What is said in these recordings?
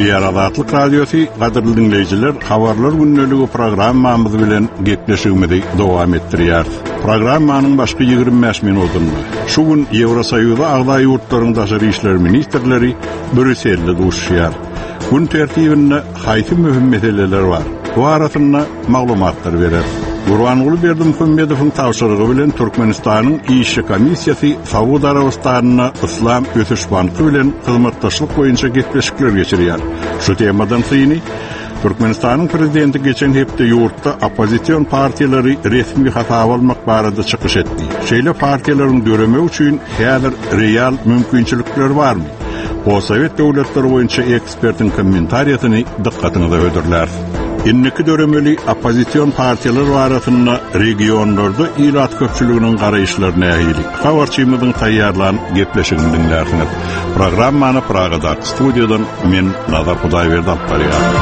Gepleýär Azatlyk Radiosy, gadyrly diňleýjiler, Habarlar gündeligi programmamyz bilen gepleşigimizi dowam etdirýäris. Programmanyň başky 25 minutynda şu gün Ýewrosoýuza agza ýurtlaryň daşary işler ministrleri Brýusselde duşuşýar. Gün tertibinde haýsy möhüm meseleler bar? Bu arasynda maglumatlar bereris. Gurbanguly Berdimuhamedowyň tabşyrygy bilen Türkmenistanyň işçi komissiýasy Saud Arabystanynda Yslam ösüş banky bilen hyzmatdaşlyk boýunça gepleşikler geçirýär. Şu temadan syny Türkmenistanyň prezidenti geçen hepde ýurtda oppozision partiýalary resmi hasaba almak barada çykyş etdi. Şeýle partiýalaryň döremegi üçin häzir real mümkinçilikler barmy? Postsowet döwletleri boýunça ekspertiň kommentariýasyny dykgatyňyza hödürläris. Indiki döremeli oppozision partiýalar barasynda regionlarda ilat köpçüliginiň garaýyşlary nähili? Habarçymyzyň taýýarlan gepleşigini diňlärsiňiz. Programmany Pragadaky studiýadan men Nazar Hudaýberdi alyp barýaryn.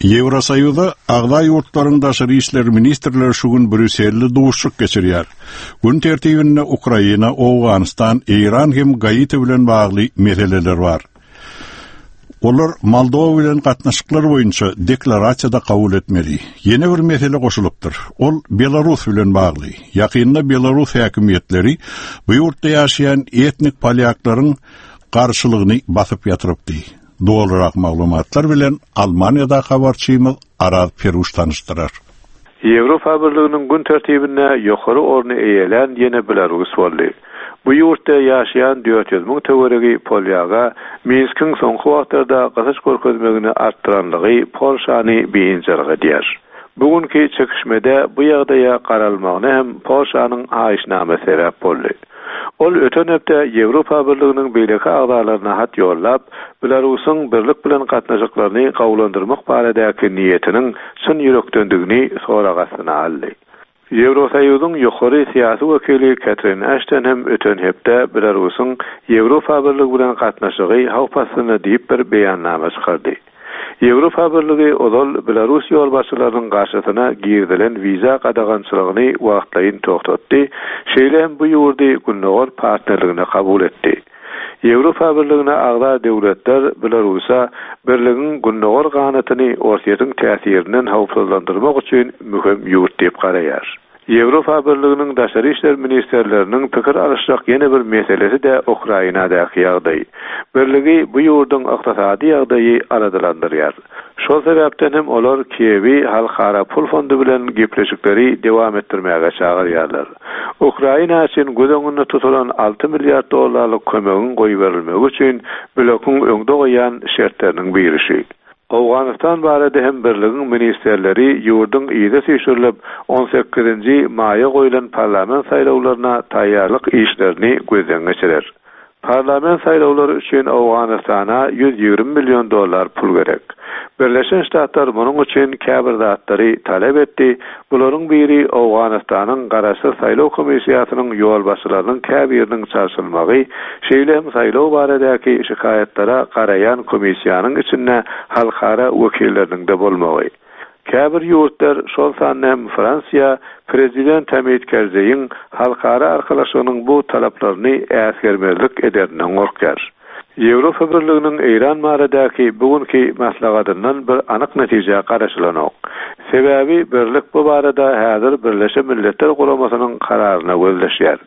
Ýewrosoýuza agza ýurtlaryň daşary işler ministrleri şu gün Brýusselde duşuşyk geçirýär. Gün tertibinde Ukraina, Owganystan, Eýran hem Gaiti bilen bagly meseleler bar. Olar Moldowa bilen gatnaşyklar boýunça deklarasiýa-da kabul etmeli. Ýene bir mesele goşulypdyr. Ol Belarus bilen bagly. Ýakynda belarus häkimiýetleri bu ýurtda ýaşaýan etnik polýaklaryň garşylygyny basyp ýatyrypdy. Dolurak maglumatlar bilen Almaniýadaky habarçymyz Araz Peruş tanyşdyrar. Ýewropa Birliginiň gün tertibinde ýokary orny eýelän ýene Belarus boldy. Bu ýurtda ýaşaýan 400 müň töweregi polýaga Minskiň soňky wagtlarda gysyş görkezmegini artdyranlygy Polşany biynjalyk edýär. Bu günki çekişmede bu ýagdaýa garalmagyna hem Polşanyň haýyşnamasy sebäp boldy. Ol öten hepde Ýewropa Birliginiň beýleki agzalaryna hat ýollap, Belarusyň Birlik bilen gatnaşyklaryny gowulandyrmak baradaky niýetiniň çyn ýürekdendigini sorag astyna aldy. Ýewrosoýuzyň ýokary syýasy wekili Ketrin Aşton hem öten hepde Belarusyň Ýewropa Birligi bilen gatnaşygy howp astynda diýip bir beýannama çykardy. Ýewropa Birligi ozal belarus ýolbaşçylarynyň garşysyna girizilen wiza gadagançylygyny wagtlaýyn togtatdy, şeýle hem bu ýurdy Gündogar partnerligine kabul etdi. Ýewropa Birligine agza döwletler Belarusa Birligiň gündogar ganatyny Orsýetiň täsirinden howpsuzlandyrmak üçin möhüm ýurt diýip garaýar. Ýewropa Birliginiň daşary işler ministrleriniň pikir alyşjak ýene bir meselesi-de Ukrainadaky ýagdaý. Birligi bu ýurduň ykdysady ýagdaýy aladalandyrýar. Şol sebäpden hem olar Kiýewi Halkara pul fondy bilen gepleşikleri dowam etdirmäge çagyrýarlar. Ukraina üçin göz öňünde tutulan alty milliard dollarlyk kömegiň goýberilmegi üçin blokuň öňde goýýan şertleriniň biri şu. Owganystan barada hem birligiň ministrleri ýurduň yza süýşürilip, on sekizinji maýa goýlan parlament saýlawlaryna taýýarlyk işlerini gözden geçirer. Parlament saýlawlary üçin Owganystana 120 million dollar pul gerek. Birleşen Ştatlar munuň üçin käbir zatlary talap etdi, bularyň biri Owganystanyň Garaşsyz saýlaw komissiýasynyň ýolbaşçylarynyň käbiriniň çalşylmagy, şeýle hem saýlaw baradaky şikaýatlara garaýan komissiýanyň içinde halkara wekilleriniň-de bolmagy. Käbir ýurtlar, şol sanda hem Fransiýa prezident Hamid Kerzeýiň halkara arkalaşygynyň bu talaplaryny äsgermezlik ederinden gorkýar. Ýewropa Birliginiň Eýran baradaky bu günki maslahatyndan bir anyk netijä garaşylanok. Sebäbi Birlik bu barada häzir Birleşen Milletler Guramasynyň kararyna gözleşýär.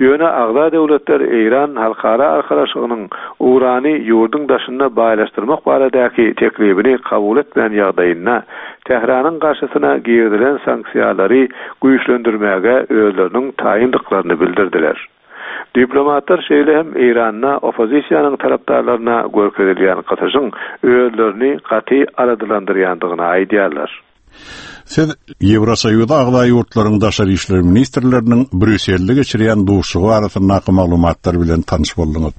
Ýöne agza döwletler Eýran halkara arkalaşygynyň urany ýurduň daşynda baýlaşdyrmak baradaky teklibini kabul etmän ýagdaýynda, Tähranyň garşysyna girizilen sanksiýalary güýçlendirmäge özleriniň taýyndyklaryny bildirdiler. Diplomatlar şeýle hem Eýranda oppozisiýanyň tarapdarlaryna görkezilýän gysyşyň özlerini gaty aladalandyrýandygyny aýdýarlar. Siz Ýewrosoýuza agza ýurtlaryň daşary işler ministrleriniň Brýusselde geçirýän duşuşygy barasyndaky maglumatlar bilen tanyş bolduňyz.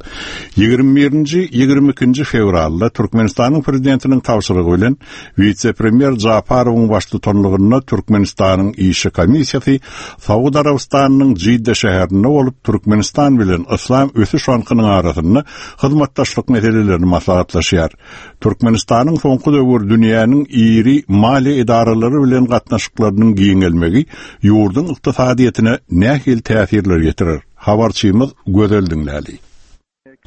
Ýigrimi birinji, ýigrimi ikinji fewralda Türkmenistanyň Prezidentiniň tabşyrygy bilen wise-premýer Japarowyň baştutanlygynda Türkmenistanyň işçi komissiýasy Saud Arabystanynyň Jidda şäherinde bolup, Türkmenistan bilen Yslam ösüş bankynyň arasynda hyzmatdaşlyk meselelerini maslahatlaşýar. Türkmenistanyň soňky döwür dünýäniň iri maliýe edaralary bilen. bilen gatnaşyklarynyň giňelmegi ýurduň ykdysadyýetine nähili täsirler ýetirer? Habarçymyz Gözel diňläli.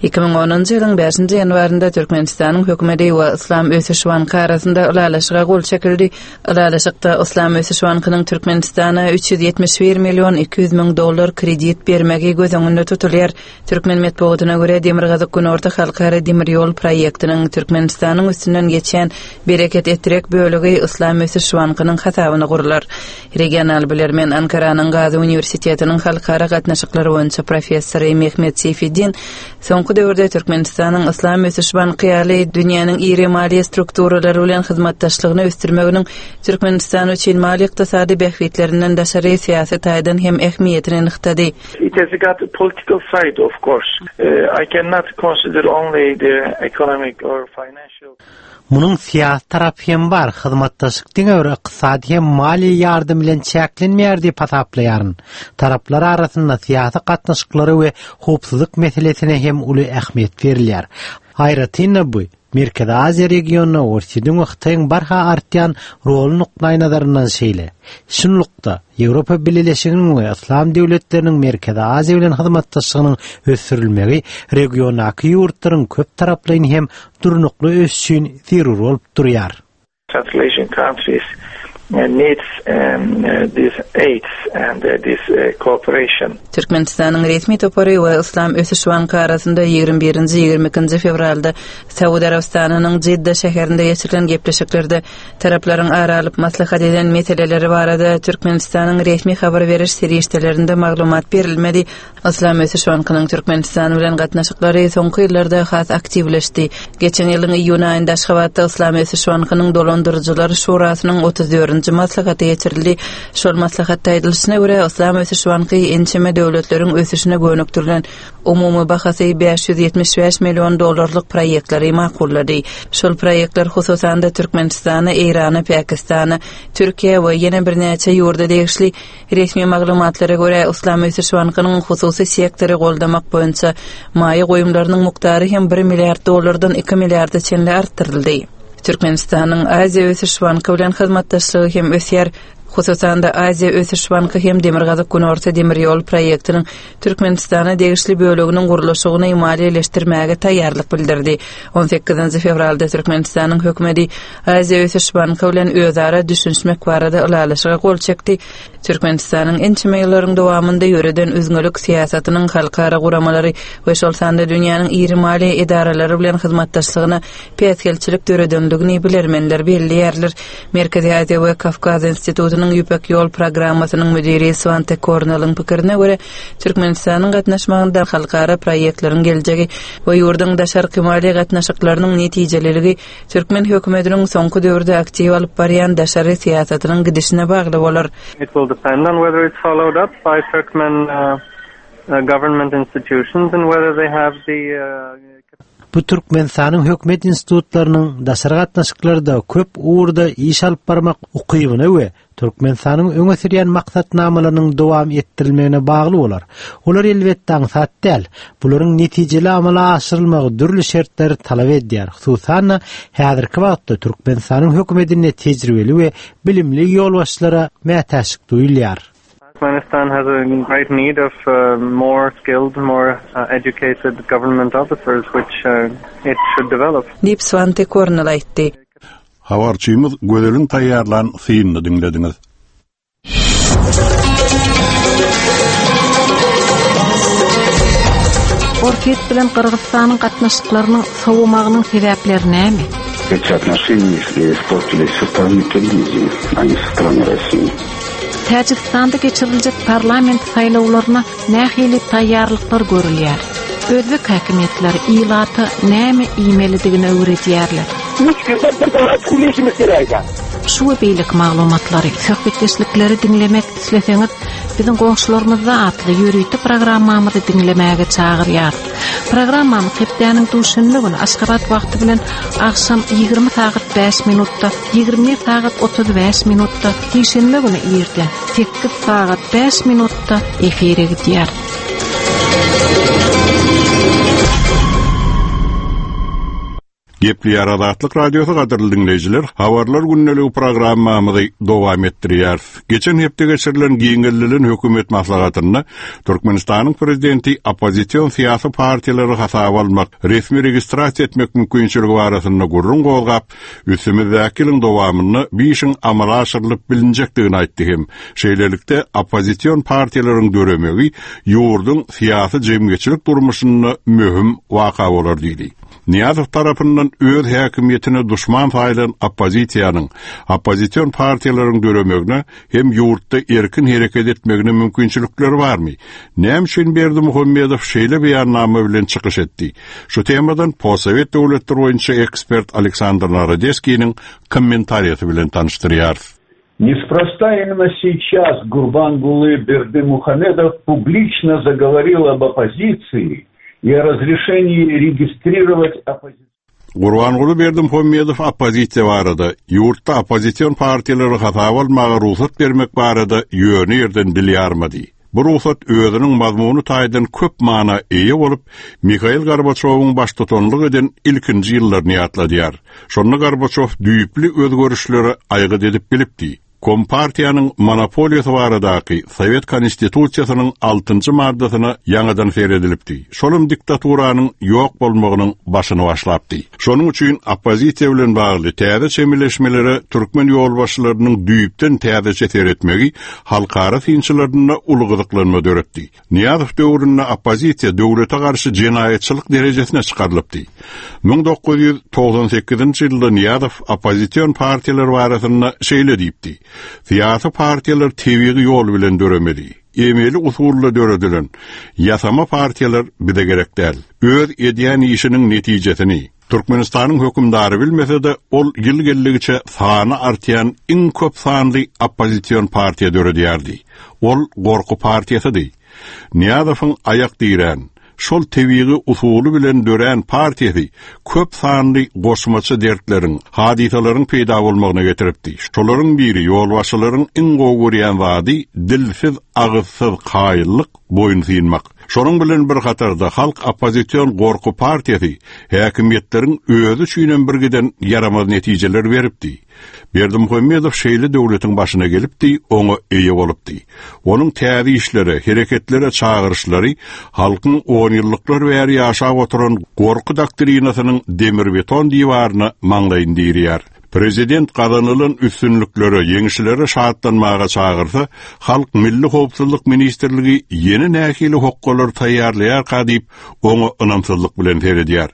2010-njy ýylyň bäşinji ýanwarynda Türkmenistanyň hökümeti we Yslam ösüş banky arasynda ylalaşyga gol çekildi. Ylalaşykda Yslam ösüş bankynyň Türkmenistana 371 million 200 müň dollar kredit bermegi göz öňünde tutulýar. Türkmen metbugatyna görä, Demirgazyk-Günorta halkara demir ýol proýektiniň Türkmenistanyň üstünden geçýän Bereket-Etrek bölegi Yslam ösüş bankynyň hasabyna gurlar. Regional bilermen Ankaranyň Gazy uniwersitetiniň halkara gatnaşyklary boýunça professory Mehmet Seýfeddin soňky döwürde Türkmenistanyň Yslam ösüş banky ýaly dünýäniň iri maliýe strukturalary bilen hyzmatdaşlygyny ösdürmeginiň Türkmenistan üçin maliýe-ykdysady bähbitlerinden daşary syýasy taýdan hem ähmiýetini nygtady. It has got a political side of course. I cannot consider only the economic or financial. Munuň syýasy tarapy hem bar, hyzmatdaşlyk diňe bir ykdysady hem maliýe ýardam bilen çäklenmeýär diýip hasaplaýaryn. Taraplar arasynda syýasy gatnaşyklara we howpsuzlyk meselesine hem uly ähmiýet berilýär. Aýratyn-da bu, Merkezi Aziýa regionynda Orsýetiň we Hytaýyň barha artýan roly nukdaýnazaryndan şeýle. Şunlukda, Ýewropa Bileleşiginiň we Yslam döwletleriniň Merkezi Aziýa bilen hyzmatdaşlygynyň ösdürilmegi regiondaky ýurtlaryň köptaraplaýyn hem durnukly ösüşi üçin zerur bolup durýar. Central Asian countries needs this aids and this cooperation. Türkmenistanyň resmi topary we Yslam ösüş banky arasynda 21-nji, 22-nji fewralda Saud Arabystanynyň Jidda şäherinde geçirilen gepleşiklerde taraplaryň ara alyp maslahat eden meseleleri barada Türkmenistanyň resmi habar beriş serişdelerinde maglumat berilmedi. Yslam ösüş bankynyň Türkmenistan bilen gatnaşyklary soňky ýyllarda has aktiwleşdi. Geçen ýylyň iýun aýynda Aşgabatda Yslam ösüş bankynyň dolandyryjylar şurasynyň 34-nji maslahaty geçirildi. Şol maslahatda aýdylyşyna görä, Yslam ösüş banky ençeme döwletleriň ösüşine gönükdirilen umumy bahasy 575 million dollarlyk proýektleri makullady. Şol proýektler hususan-da Türkmenistana, Eýrana, Pakistana, Türkiýä we ýene birnäçe ýurda degişli Resmi maglumatlara görä, Yslam ösüş bankynyň hususy sektory goldamak boýunça maýa goýumlarynyň mukdary hem bir milliard dollardan iki milliarda çenli artdyryldy. Türkmenistanyň Aziýa ösüş banky bilen hyzmatdaşlygy hem ösýär. Hususan-da, Aziýa ösüş banky hem Demirgazyk-Günorta demir ýol proýektiniň Türkmenistana degişli böleginiň gurluşygyny maliýeleşdirmäge taýýarlyk bildirdi. On sekizinji fewralda Türkmenistanyň hökümeti Aziýa ösüş banky bilen özara düşünişmek barada ylalaşyga gol çekdi. Türkmenistanyň ençeme ýyllaryň dowamynda ýöreden üzňelik syýasatynyň halkara guramalary we şol sanda dünýäniň iri maliýe edaralary bilen hyzmatdaşlygyna päsgelçilik döredendigini bilermenler belleýärler. Merkezi Aziýa we Kawkaz institutynyň Ýüpek ýol programmasynyň müdiri Swante Korneliň pikirine görä, Türkmenistanyň gatnaşmagynda halkara proýektleriň geljegi we ýurduň daşarky maliýe gatnaşyklarynyň netijeliligi Türkmen hökümetiniň soňky döwürde aktiw alyp barýan daşary syýasatynyň gidişine bagly bolar. It will depend on whether it's followed up by Turkmen government institutions and whether they have the Bu Türkmenistanyň hökümet institutlarynyň daşary gatnaşyklarda köp ugurda iş alyp barmak ukybyna we Türkmenistanyň öňe sürýän maksatnamalarynyň dowam etdirilmegine bagly bolar. Olar elbetde aňsat däl. Bularyň netijeli amala aşyrylmagy dürli şertleri talap edýär. Hususan-da, häzirki wagtda Türkmenistanyň hökümetinde tejribeli we bilimli ýolbaşçylara mätäçlik duýulýar. Turkmenistan has a great need of more skilled, more educated government officers which it should develop. Diýip, Swante Kornel aýtdy. Habarçymyz Gözeliň taýýarlan synyny diňlediňiz. Orsýet bilen Gyrgyzystanyň gatnaşyklarynyň sowamagynyň sebäpleri näme? Эти отношения испортились со стороны Киргизии, а не со стороны России. Täjigistanda geçiriljek parlament saýlawlaryna nähili taýýarlyklar görülýär? Özbek häkimiýetleri ilata näme iýmelidigini öwredýärler. Üç günde bir dana pul işimiz gerek eken. Şu we beýleki maglumatlary, söhbetdeşlikleri diňlemek isleseňiz, biziň goňşularymyzda atly ýörite programmamyzy diňlemäge çagyrýarys. Programmamyz hepdäniň duşenbe güni Aşgabat wagty bilen agşam 20 sagat 5 minutda, 21 sagat 35 minutda, sişenbe güni irden 8 sagat 5 minutda efire gidýär. Gepleýär Azatlyk Radiosy gadyrly diňleýjiler, Habarlar gündeligi programmamyzy dowam etdirýäris. Geçen hepde geçirilen giňeldilen hökümet maslahatynda Türkmenistanyň prezidenti oppozision syýasy partiýalary hasaba almak, resmi registrasiýa etmek mümkinçiligi barasynda gürrüň gozgap, üstümizdäki ýylyň dowamynda bu işiň amala aşyrylyp bilinjekdigini aýtdy hem şeýlelikde oppozision partiýalaryň döremegi ýurduň syýasy-jemgyýetçilik durmuşynda möhüm waka bolar diýdi. Nyýazow tarapyndan öz häkimiýetine duşman saýylan oppozisiýanyň, oppozision partiýalaryň döremegine hem ýurtda erkin hereket etmegine mümkinçilikleri barmy? Näme üçin Berdimuhamedow şeýle beýannama bilen çykyş etdi? Şu temadan postsowet döwletleri boýunça ekspert Aleksandr Narodeskiniň kommentariýasy bilen tanyşdyrýarys. Неспроста именно сейчас Гурбангулы Бердымухамедов публично заговорил об оппозиции и о разрешении регистрировать оппозицию. Gurbanguly Berdimuhamedow oppozisiýa barada, ýurtda oppozision partiýalary hasaba almaga rugsat bermek barada ýöne ýerden dil ýarmady. Bu rugsat özüniň mazmuny taýdan köp mana eýe bolup, Mihail Gorbaçowyň baştutanlyk eden ilkinji ýyllaryny ýatladýar. Şonda Gorbaçow düýpli özgerişlere aýgyt edip bilipdi. Kompartiýanyň monopoliýasy baradaky Sowet Konstitusiýasynyň altynjy maddasyna ýaňadan seredilipdi. Şolam diktaturanyň ýok bolmagynyň başyny başlapdy. Şonuň üçin oppozisiýa bilen bagly täze çemeleşmelere türkmen ýolbaşçylarynyň düýpden täzeçe seretmegi halkara synçylarynda uly gyzyklanma döretdi. Nyýazow döwründe oppozisiýa döwlete garşy jenaýatçylyk derejesine çykarylypdy. 1998-nji ýylda Nyýazow oppozision partiýalar barasynda şeýle diýipdi, Syýasy partiýalar tebigy ýol bilen döremeli. Emeli usulda döredilen, ýasama partiýalar bize gerek däl. Öz edýän işiniň netijesini, Türkmenistanyň hökümdary bilmese-de, ol ýyl geldigiçe sany artýan iň köp sanly oppozision partiýa döredýärdi. Ol gorky partiýasydy. Nyýazowyň aýak dirän, şol tebigy usuly bilen dörän partiýasy köp sanly goşmaça dertleriň, hadysalaryň peýda bolmagyna getiripdi. Şolaryň biri ýolbaşçylaryň iň gowy görýän zady dilsiz, agyzsyz kaýyllyk, boýun synmak. Şonuň bilen bir hatarda Halk oppozision gorky partiýasy häkimiýetleriň özi üçinem birgiden ýaramaz netijeler beripdi. Berdimuhamedow şeýle döwletiň başyna gelipdi, oňa eýe bolupdy. Onuň täze işlere, hereketlere çagyryşlary halkyň onýyllyklar bäri ýaşap oturan gorky doktrinasynyň demir-beton diwaryna maňlaýyny dirýär. Prezident gazanylan üstünliklere, ýeňişlere şatlanmaga çagyrsa, halk Milli howpsuzlyk ministrligi ýene nähili hokgalar taýýarlaýarka diýip, oňa ynamsyzlyk bilen seredýär.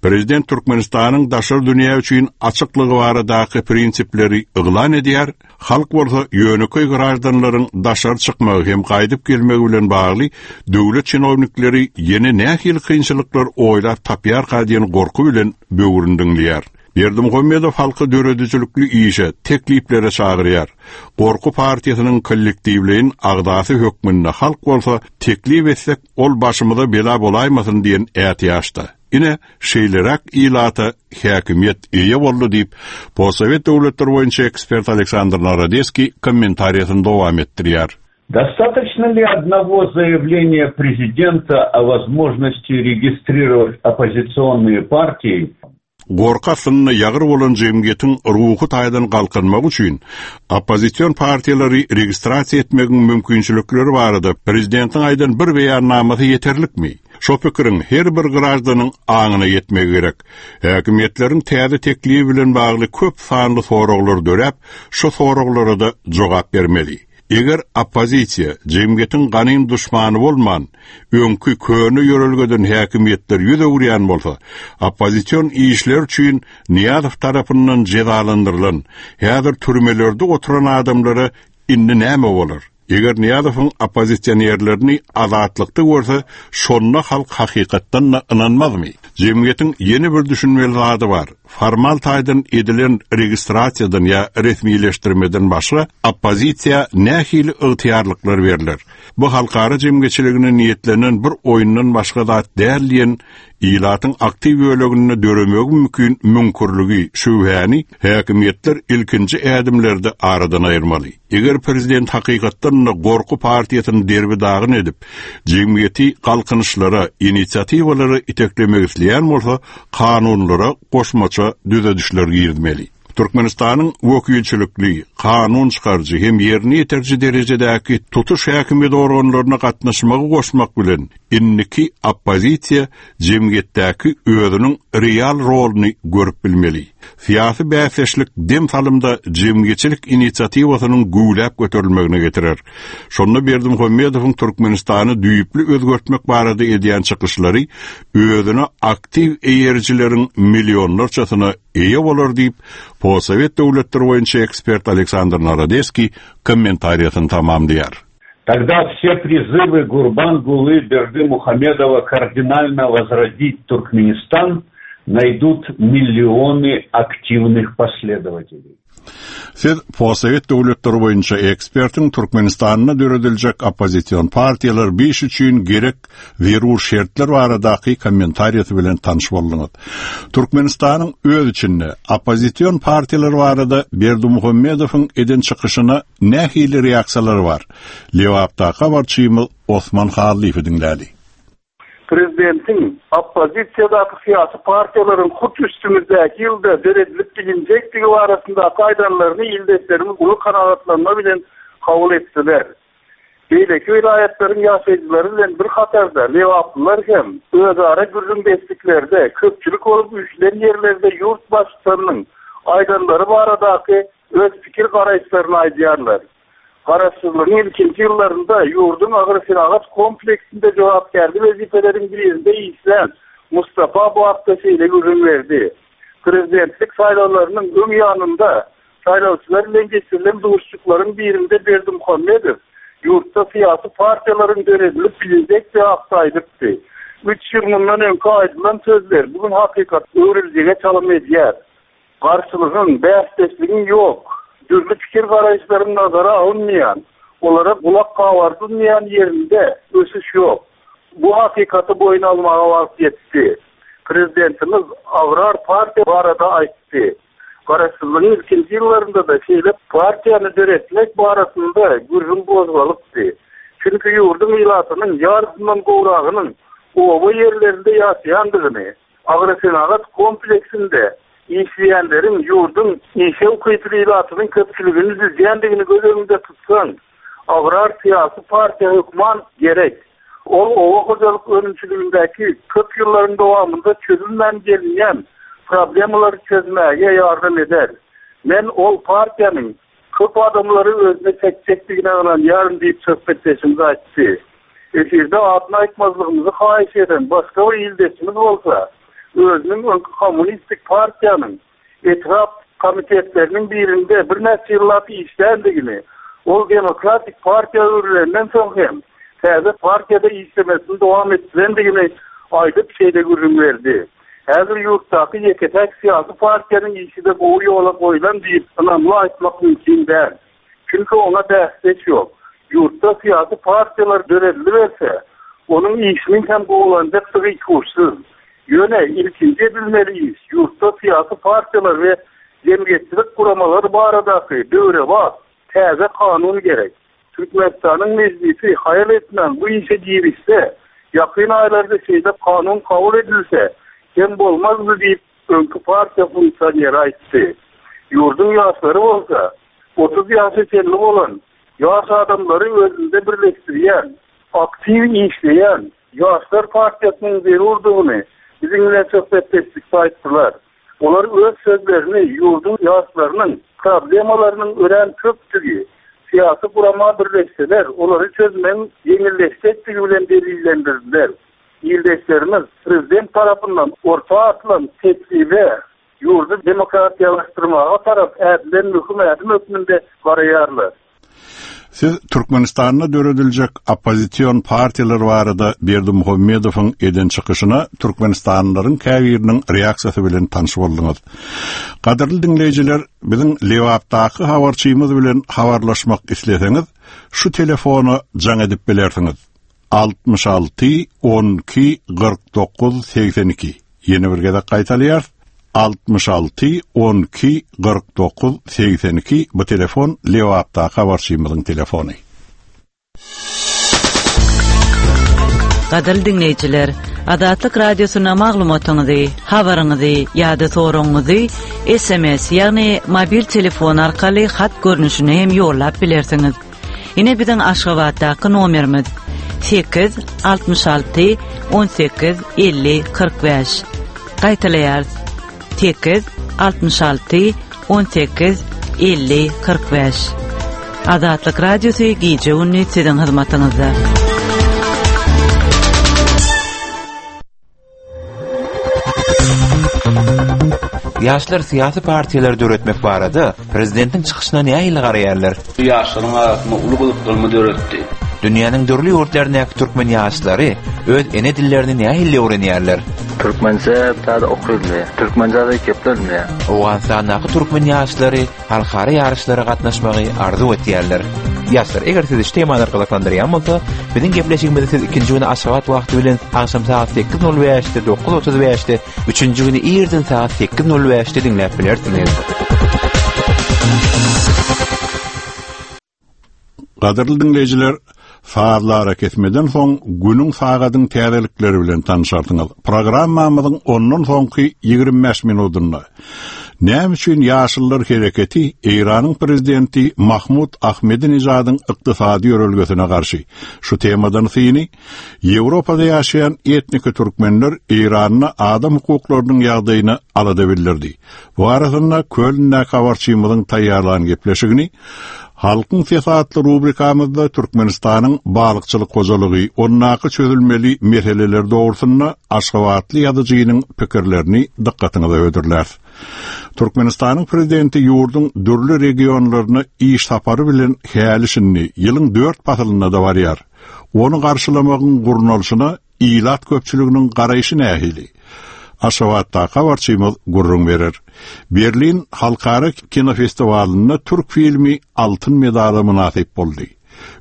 Prezident Türkmenistanyň daşary dünýä üçin açyklygy baradaky prinsipleri yglan edýär, halk bolsa ýönekeý graždanlaryň daşary çykmagy hem gaýdyp gelmegi bilen bagly döwlet çinownikleri ýene nähili kynçylyklar oýlap tapýarka diýen gorky bilen böwrüni diňleýär. Berdimuhamedow halky döredijilikli işe, tekliplere çagyrýar. Gorky partiýasynyň kollektiwleýin agzasy hökmünde halk bolsa teklip etsek ol başymyza bela bolaýmasyn diýen ätiýaçda. Ine, şeýleräk ilata häkimiýet eýe boldy diýip, postsowet döwletleri boýunça ekspert Aleksandr Narodeskiý kommentariýasyny dowam etdirýär. Достаточно ли одного заявления президента о возможности регистрировать оппозиционные партии? Gorky astynda ýagyr bolan jemgyýetiň ruhy taýdan galkynmagy üçin oppozision partiýalary registrasiýa etmegiň mümkinçilikleri barada prezidentiň aýdan bir beýannamasy ýeterlikmi? Şo pikiriň her bir graždanyň aňyna ýetmegi gerek. Häkimiýetleriň täze teklibi bilen bagly köp sanly soraglar döräp, şo soraglara-da jogap bermeli. Eger oppozisiýa jemgyýetiň ganym duşmany bolman, öňki köne ýörelgeden häkimiýetler ýüz öwürýän bolsa, oppozision işler üçin Nyýazow tarapyndan jezalandyrylan, häzir türmelerde oturan adamlara indi näme bolar? Eger Nyýazowyň oppozisionerlerini azatlykda görse, şonda halk hakykatdan-da ynanmazmy? Jemgyýetiň ýene bir düşünmeli zady bar. Formal taýdan edilen registrasiýadan ýa resmileşdirmeden başga oppozisiýa nähili ygtyýarlyklar berler? Bu halkara jemgyýetçiligine niýetlenen bir oýundan başga zat däl diýen ilatyň aktiw böleginde döremegi mümkin müňkürligi, şübhäni häkimiýetler ilkinji ädimlerde aradan aýyrmaly. Eger prezident hakykatdan-da gorky partiýasyny derbi-dagyn edip, jemgyýeti galkynyşlara, inisiatiwalara iteklemek isleýän bolsa, kanunlara goşmaça düzedişler girizmeli. Türkmenistanyň wekilçilikli, kanun çykaryjy hem ýerine ýetiriji derejedäki tutuş häkimiýet organlaryna gatnaşmagy goşmak bilen, indiki oppozisiýa jemgyýetdäki özüniň real roluny görüp bilmeli. Syýasy bäsdeşlik dem salymda jemgyýetçilik inisiatiwasynyň güwläp göterilmegine getirer. Şonda Berdimuhamedowyň Türkmenistany düýpli özgertmek barada edýän çykyşlary özüne aktiw eýerijileriň millionlarçasyna eýe bolar diýip, postsowet döwletleri boýunça ekspert Aleksandr Narodeskiý kommentariýasyny tamamlaýar. Тогда все призывы Гурбангулы Бердымухамедова кардинально возродить Туркменистан найдут миллионы активных последователей. Siz postsowet döwletleri boýunça ekspertiň Türkmenistanda dörediljek oppozision partiýalar biş üçin gerek zerur şertler baradaky kommentariýasy bilen tanyş bolduňyz. Türkmenistanyň öz içinde oppozision partiýalar barada Berdimuhamedowyň eden çykyşyna nähili reaksiýalar bar? Lebapdaky habarçymyz Osman Hallyýewi diňläli. Prezidentiň oppozisiýadaky syýasy partiýalaryň hut üstümizdäki ýylda döredilip bilinjekdigi barasyndaky aýdanlaryny ildeşlerimiz uly kanagatlanma bilen kabul etdiler. Beýleki welaýatlaryň ýaşaýjylary bilen bir hatarda lebaplylar hem özara gürrüňdeşliklerde, köpçülik bolup üýşülen ýerlerde ýurt Baştutanynyň aýdanlary baradaky öz pikir-garaýyşlaryny aýdýarlar. Garaşsyzlygyň ilkinji ýyllarynda ýurduň agrosenagat kompleksinde jogapkärli wezipeleriň birinde işlän Mustapa bu hakda şeýle gürrüň berdi, Prezidentlik saýlawlarynyň öň ýanynda saýlawçylar bilen geçirilen duşuşyklaryň birinde Berdimuhamedow ýurtda syýasy partiýalaryň döredilip bilinjekdigi hakda aýdypdy. Üç ýyl mundan öňki aýdylan sözler bu gün hakykata öwrüljege çalym edýär. Garşylygyň, bäsdeşligiň ýok, dürli pikir-garaýyşlaryň nazara alynmaýan, olara gulak gabardylmaýan ýerinde ösüş ýok. Bu hakykaty boýun almaga wagt ýetdi. Prezidentimiz agrar partiýa barada aýtdy. Garaşsyzlygyň ilkinji ýyllarynda-da şeýle partiýany döretmek barasynda gürrüň gozgalypdy. Çünki ýurduň ilatynyň ýarysyndan gowragynyň oba ýerlerinde ýaşaýandygyny, Agrosenagat kompleksinde işleýänleriň ýurduň işe ukyply ilatynyň köpçüligini düzýändigini göz öňünde tutsaň, agrar syýasy partiýa hökman gerek. Ol oba hojalyk önümçiligindäki köp ýyllaryň dowamynda çözülmän gelinýän problemalary çözmäge ýardam eder. Men ol partiýanyň köp adamlary özüne çekjekdigine ynanýaryn diýip söhbetdeşimiz aýtdy. Efirde adyny aýtmazlygymyzy haýyş eden başga bir ildeşimiz bolsa, özüniň öňki kommunistik partiýanyň etrap komitetleriniň birinde birnäçe ýyllap işländigini, ol demokratik partiýa öwrülenden soň hem täze partiýada işlemesini dowam etdirendigini aýdyp şeýle gürrüň berdi. Häzir ýurtdaky ýeke-täk syýasy partiýanyň işi-de gowy ýola goýlan diýip ynamly aýtmak mümkin däl. Çünki oňa bäsdeş ýok. Ýurtda syýasy partiýalar dörediliberse, onuň işiniň hem gowulanjakdygy ikuçsyz. Ýöne ilkinji edilmeli iş ýurtda syýasy partiýalar we jemgyýetçilik guramalary baradaky döwrebap, täze kanun gerek. Türkmenistanyň Mejlisi haýal etmän bu işe girişse, ýakyn aýlarda şeýle kanun kabul edilse, kem bolmazdy diýip, öňki partiýa funksioneri aýtdy. Ýurduň ýaşlary bolsa, 30 ýaşa çenli bolan ýaş adamlary özünde birleşdirýän, aktiw işleýän Ýaşlar partiýasynyň zerurdygyny biziň bilen söhbetdeşlikde aýtdylar. Olar öz sözlerini ýurduň ýaşlarynyň problemalarynyň örän köpdügi, syýasy gurama birleşseler, olary çözmegiň ýeňilleşjekdigi bilen delillendirdiler. Ildeşlerimiz prezident tarapyndan orta atylan teklibe ýurdy demokratiýalaşdyrmaga tarap ädilen möhüm ädim hökmünde garaýarlar. Siz Türkmenistanda dörediljek oppozision partiýalar barada Berdimuhamedowyň eden çykyşyna türkmenistanlylaryň käbiriniň reaksiýasy bilen tanyş bolduňyz. Gadyrly diňleýjiler, biziň Lebapdaky habarçymyz bilen habarlaşmak isleseňiz, şu telefona jaň edip bilersiňiz, 66 12 49 82. Ýene bir gezek gaýtalaýarys, 66 12 49 82 bu telefon Lebapdaky habarçymyzyň telefony. Gadyrly diňleýjiler, Azatlyk Radiosyna maglumatyňyzy, habaryňyzy ýa-da soragyňyzy SMS, ýagny mobil telefon arkaly hat görnüşinde hem ýollap bilersiňiz. Ine biziň Aşgabatdaky nomerimiz 8 66 18 50 45. Gaýtalaýarys. 8 66 18 50 45. Azatlyk Radiosy gije-gündiz siziň hyzmatyňyzda. Ýaşlar syýasy partiýalary döretmek barada prezidentiň çykyşyna nähili garaýarlar? Bu ýaşlaryň arasynda uly gyzyklanma döretdi. Dünýäniň dürli ýurtlaryndaky türkmen ýaşlary öz ene dillerini nähili öwrenýärler? Türkmençe zat okylmaýar. Türkmençe zat geplenmeýär. Owganystandaky türkmen ýaşlary halkara ýaryşlara gatnaşmagy arzuw etýärler. Ýaşlar, eger sizi şu temalar gyzyklandyrýan bolsa, biziň gepleşigimizi siz ikinji güni Aşgabat wagty bilen agşam sagat 8:05-de, 9:35-de, üçünji güni irden sagat 8:05-de diňläp bilersiňiz. Gadyrly diňleýjiler, sazly arakesmeden soň günüň sagadyň täzelikleri bilen tanyşarsyňyz. Programmamyzyň ondan soňky 25 minudynda Näme üçin Ýaşyllar hereketi Eýranyň prezidenti Mahmud Ahmedinejadyň ykdysady ýörelgesine garşy? Şu temadan syny Ýewropada ýaşaýan etniki türkmenler Eýranda adam hukuklarynyň ýagdaýyna alada bildirdi. Bu arasynda Kölndäki habarçymyzyň taýýarlan gepleşigini Halkyň sesi atly rubrikamyzda Türkmenistanyň balykçylyk hojalygy, ondaky çözülmeli meseleler dogrusynda aşgabatly ýazyjynyň pikirlerini dykgatyňyza hödürläris. Türkmenistanyň Prezidenti ýurduň dürli regionlaryna iş sapary bilen häli-şindi ýylyň dört pasylynda-da barýar. Ony garşylamagyň gurnalyşyna Ilat köpçüliginiň garaýşy nähili? Aşgabatdaky habarçymyz gürrüň berer. Berlin halkara kinofestiwalynda türk filmi altyn medala mynasyp boldy.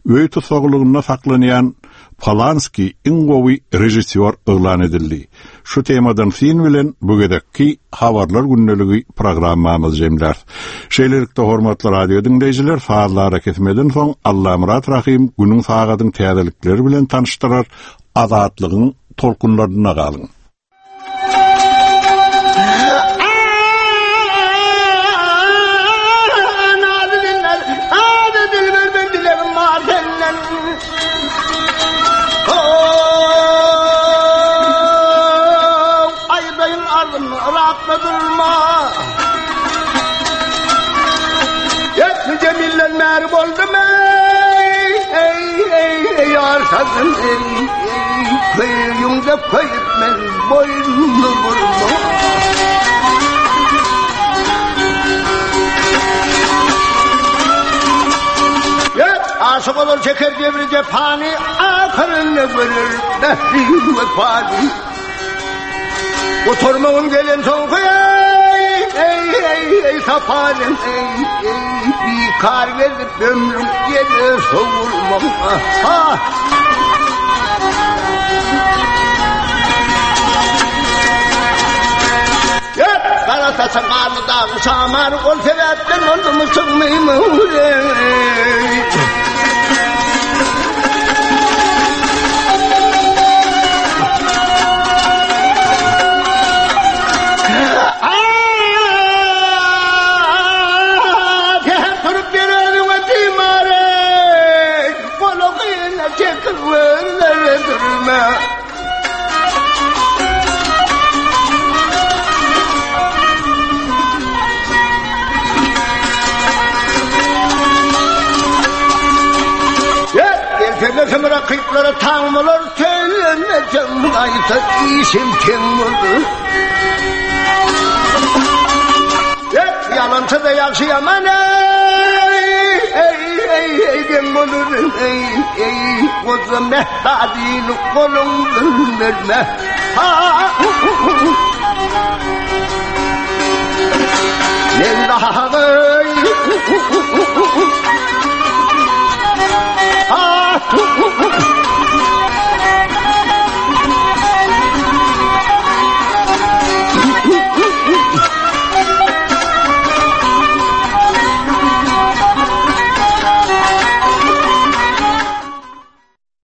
Öý tussaglygynda saklanýan Polanski iň gowy režissýor yglan edildi. Şu temadan syn bilen bu gezekki Habarlar gündeligi programmamyzy jemläris. Şeýlelikde, hormatly radio diňleýjiler, sazly arakesmeden soň Allamyrat Rahym günüň sagadyň täzelikleri bilen tanyşdyrar. Azatlygyň tolkunlarynda galyň. Aýdaýyn arzym yrakda durma. Etli Jemilden bäri boldum ey, ey, ey, ey, ýar sazym ey, ey, köýüňde köýüp men boýnumy burdum. Aşyk olar çeker jebri jepany, ahyrynda görer mähri wepany. Gutarmagym gelen soňky ey, ey, ey, ey, saparym ey, ey, bikar gezip ömrüm ýele sowulmaň. Ah! Gara saçy garly dagyň şamary ol sebäpden boldumy çykmymy Säher turup bir özüňe timar ey, Golagyna çekip gözlere sürme. Gelseler rakyplara taň bolar, Söýlenmesem gaýta işim teň bolar. Ýalançy-da ýagşy ýaman, eý, eý, eý. ey geň bolar ey ey goja Mähtadyny goluňdan berme. Ha! Men dagy Ha!